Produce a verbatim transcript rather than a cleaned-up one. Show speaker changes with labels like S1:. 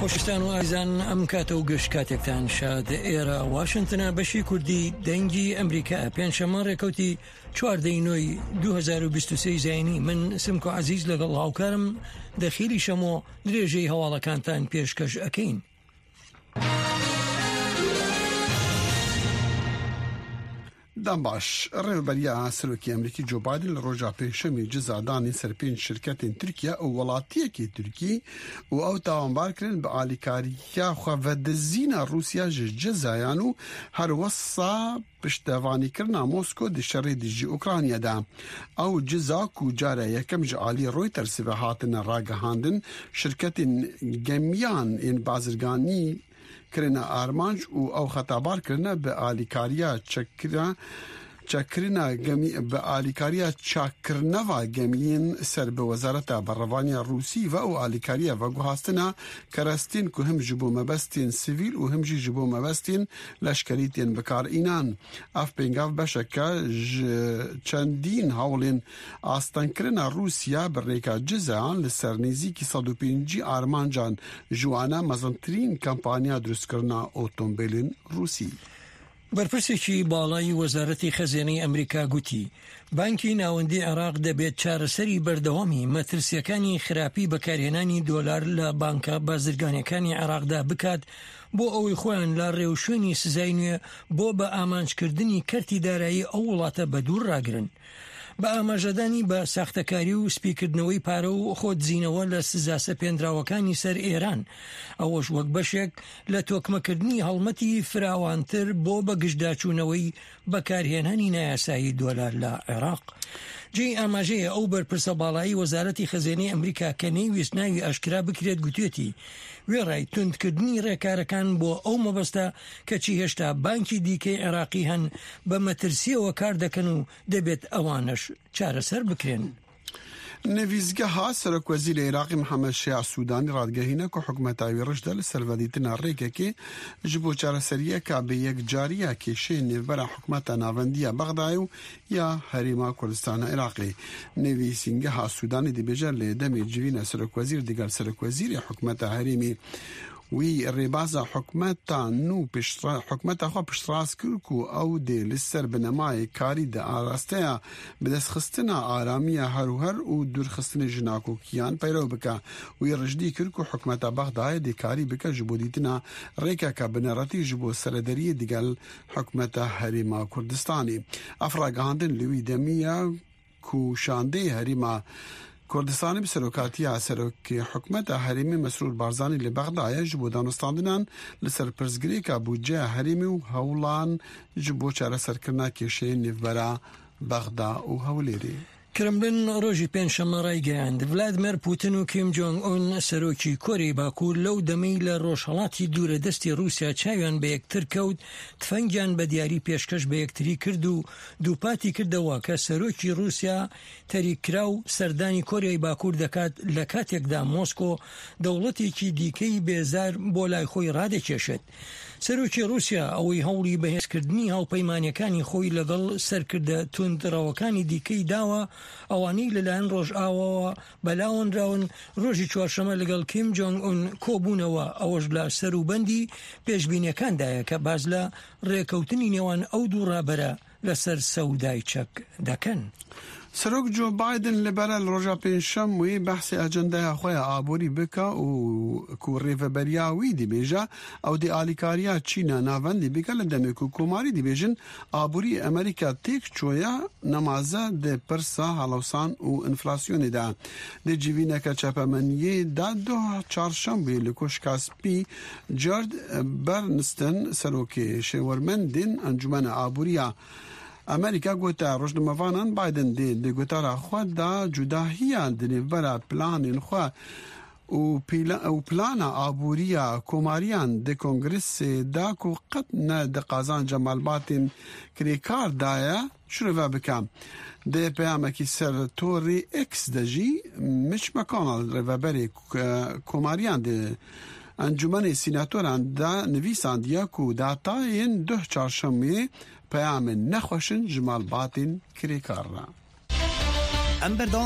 S1: خۆشەویستان و ئازیزان، ئەم کاتە و گشت کاتێکتان شاد. ئێرە واشنتنە، بەشی کوردی دەنگی ئەمریکا. پێنجشەممە ڕێکەوتی چواردەی نۆی دوو هەزار و بیست و سێ زایینی، من سمکۆ عەزیز لەگەڵ هاوکارم دەخیلی شەمۆ درێژەی هەواڵەکانتان پێشکەش ئەکەین.
S2: دەم باش. ڕێوەبەریە سەرۆکی ئەمریکی جۆ بایدن لە ڕۆژا پێنجشەمی جزادانی سەر پێنج شرکەتên Tirkiye û welatiyekî Tirkî û ew tawanbar kirin bi alîkariya xwevedizîna Rûsya ji cezayan û herwesa piştevanîkirina Mosko di şerê dijî Ukrayna de. Ew ceza ku cara yekem ji alî Reutersê ve hatine ragihandin, şirketên gemiyan ên bazirganî kirine armanc û ew xetabar kirine bi alîkariya çekkirina çekkirina gemî bi alîkariya çakkirneva gemiyên ser bi wezareta berevaniya Rûsî ve û alîkariya veguhastina kerestên ku him ji bo mebestên sivîl û him jî ji bo mebestên leşkerî tên bikaranîn. Ev pêngav beşeke ji çendîn hewlên astengkirina Rûsya bi rêka cezayan li ser nêzîkî sed û pêncî armancan, ji wana mezintirîn kampanya dirustkirina otomobîlên Rûsî.
S1: بەرپرسێکی باڵای وەزارەتی خەزێنەی ئەمریکا گوتی بانکی ناوەندی عێراق دەبێت چارەسەری بەردەوامی مەترسیەکانی خراپی بەکارهێنانی دۆلار لە بانکە بازرگانەکانی عێراقدا بکات بۆ ئەوەی خۆیان لە ڕێوشوێنی سزای نوێ بۆ بە ئامانجکردنی کەرتی دارایی ئەو وڵاتە بە دوور ڕاگرن. بە ئاماژەدانی بە ساختەکاری و سپیکردنەوەی پارە و خۆدزینەوە لە سزا سەپێنراوەکانی سەر ئێران، ئەوەش وەک بەشێک لە تۆکمەکردنی هەڵمەتی فراوانتر بۆ بەگژداچوونەوەی بەکارهێنانی نایاسایی دۆلار لە عێراق. جێی ئاماژەیە ئەو بەرپرسە باڵایی وەزارەتی خەزێنەی ئەمریکا کە نەیویست ناوی ئاشکرا بکرێت گوتێتی وێڕای توندکردنی ڕێکارەکان بۆ ئەو مەبەستە، کەچی هێشتا بانکی دیکەی عێراقی هەن بە مەترسیەوە کار دەکەن و دەبێت ئەوانەش چارەسەر بکرێن.
S2: نڤیسگەها سەرۆک وەزیری عێراقی محەممەد شیاع سوودانی ڕادگەهینە کە حکومەتا وی ڕژدە لە سەر ڤەدیتنا ڕێکێکێ ji bo çareseriyeka bi yekcariya kêşeyên nêvbera hikûmeta navendiya Bexdayê û ya Herêma Kurdistana Iraqê. Nivîsîngeha Sûdanî dibêje lê demê civîna serokwezîr digel serokwezîrê hikûmeta herêmê wî rêbaza hikûmeta nû hikûmeta xwe piştrast kir ku ew dê li ser binemayê karî di arasteya bidestxistina aramiya herûher û dûrxistinê ji nakokiyan peyrew bike. Wî rijdî kir ku hikûmeta Bexdayê dê karî bike ji bo dîtina rêkeke bineretî ji bo serederiyê digel hikûmeta Herêma Kurdistanê. Ev ragihandin li wî demiya ku şandeyê Herêma Kurdistanê bi serokatiya serokê hikûmeta herêmê Mesrûr Barzanî li Bexdayê ji bo danûstandinan li ser pirsgirêka bûdceya herêmê û hewlan ji bo çareserkirina kêşeyên nêvbera Bexda û Hewlêrê.
S1: کرملن ڕۆژی پێنجشەممە ڕایگەیاند ڤلادیمێر پوتن و کیم جۆنگ ئون سەرۆکی کۆریای باکوور لەو دەمەی لە ڕۆژهەڵاتی دوورە دەستی رووسیا چاویان بە یەکتر کەوت تفەنگیان بە دیاری پێشکەش بە یەکتری کرد و دووپاتی کردەوە کە سەرۆکی رووسیا تەریکراو سەردانی کۆریای باکوور دەکات لە کاتێکدا مۆسکۆ دەوڵەتێکی دیکەی بێزار بۆ لای خۆی ڕادەکێشێت. سەرۆکی رووسیا ئەوەی هەوڵی بەهێزکردنی هاوپەیمانیەکانی خۆی لەگەڵ سەرکردە توندڕەوەکانی دیکەی داوە، ئەوانەی لەلایەن ڕۆژئاواوە بەلاوەنراون، ڕۆژی چوارشەمە لەگەڵ کیم جۆنگ ئون کۆبوونەوە، ئەوەش لە سەروبەندی پێشبینیەکاندایە کە باز لە ڕێکەوتنی نێوان ئەو دوو ڕابەرە لەسەر سەودای چەک دەکەن.
S2: سەرۆک جۆ بایدن li ber e li roja pêncşem wê behsê ajandaya xwe ya aborî bike û ku rêveberiya wî dibêje ew dê alîkariya Çîna navendî bike li demê ku Komarî dibêjin aborî Amerîka têk çûye, nemaze di pirsa helawsan û enflasyonê de. Di civîneke çapemeniyê de duh çarşembê li Koşka Spî Jared Bernstein serokê şêwermendên Encûmena Aboriya Amerîka gote rojnamevanan Biden dê di gotara xwe da cudahiya di nêvbera planên xwe û plana aboriya Komariyan di Kongresê da ku qet ne di qazanca malbatên kirêkar daye şirove bike. Di peyamekî ser torê X de jî Mitch McConnell rêveberê Komariyan di Encûmenê Sînatoran de nivîsandiye ku datayên duh çarşemê peyamên nexweşin ji malbatên kirêkar re.
S3: Em berdewam